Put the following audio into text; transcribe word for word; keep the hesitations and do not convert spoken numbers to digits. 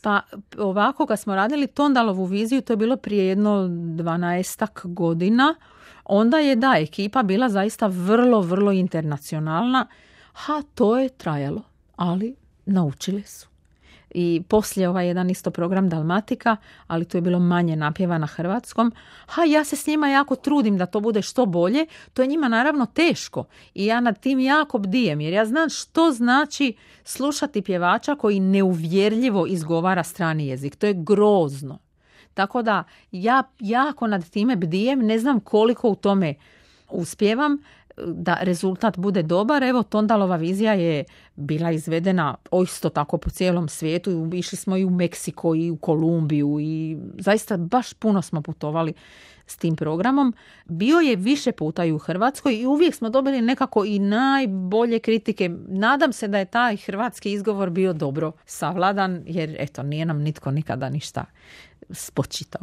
Pa ovako, kad smo radili Tondalovu viziju, to je bilo prije jedno dvanaestak godina, onda je da ekipa bila zaista vrlo, vrlo internacionalna. Ha, to je trajalo, ali naučili su. I poslije ovaj jedan isto program Dalmatika, ali to je bilo manje napjeva na hrvatskom. Ha, ja se s njima jako trudim da to bude što bolje. To je njima naravno teško i ja nad tim jako bdijem, jer ja znam što znači slušati pjevača koji neuvjerljivo izgovara strani jezik. To je grozno. Tako da ja jako nad time bdijem, ne znam koliko u tome uspijevam da rezultat bude dobar. Evo, Tondalova vizija je bila izvedena isto tako po cijelom svijetu. Išli smo i u Meksiko i u Kolumbiju i zaista baš puno smo putovali s tim programom. Bio je više puta i u Hrvatskoj i uvijek smo dobili nekako i najbolje kritike. Nadam se da je taj hrvatski izgovor bio dobro savladan, jer eto, nije nam nitko nikada ništa spočitao.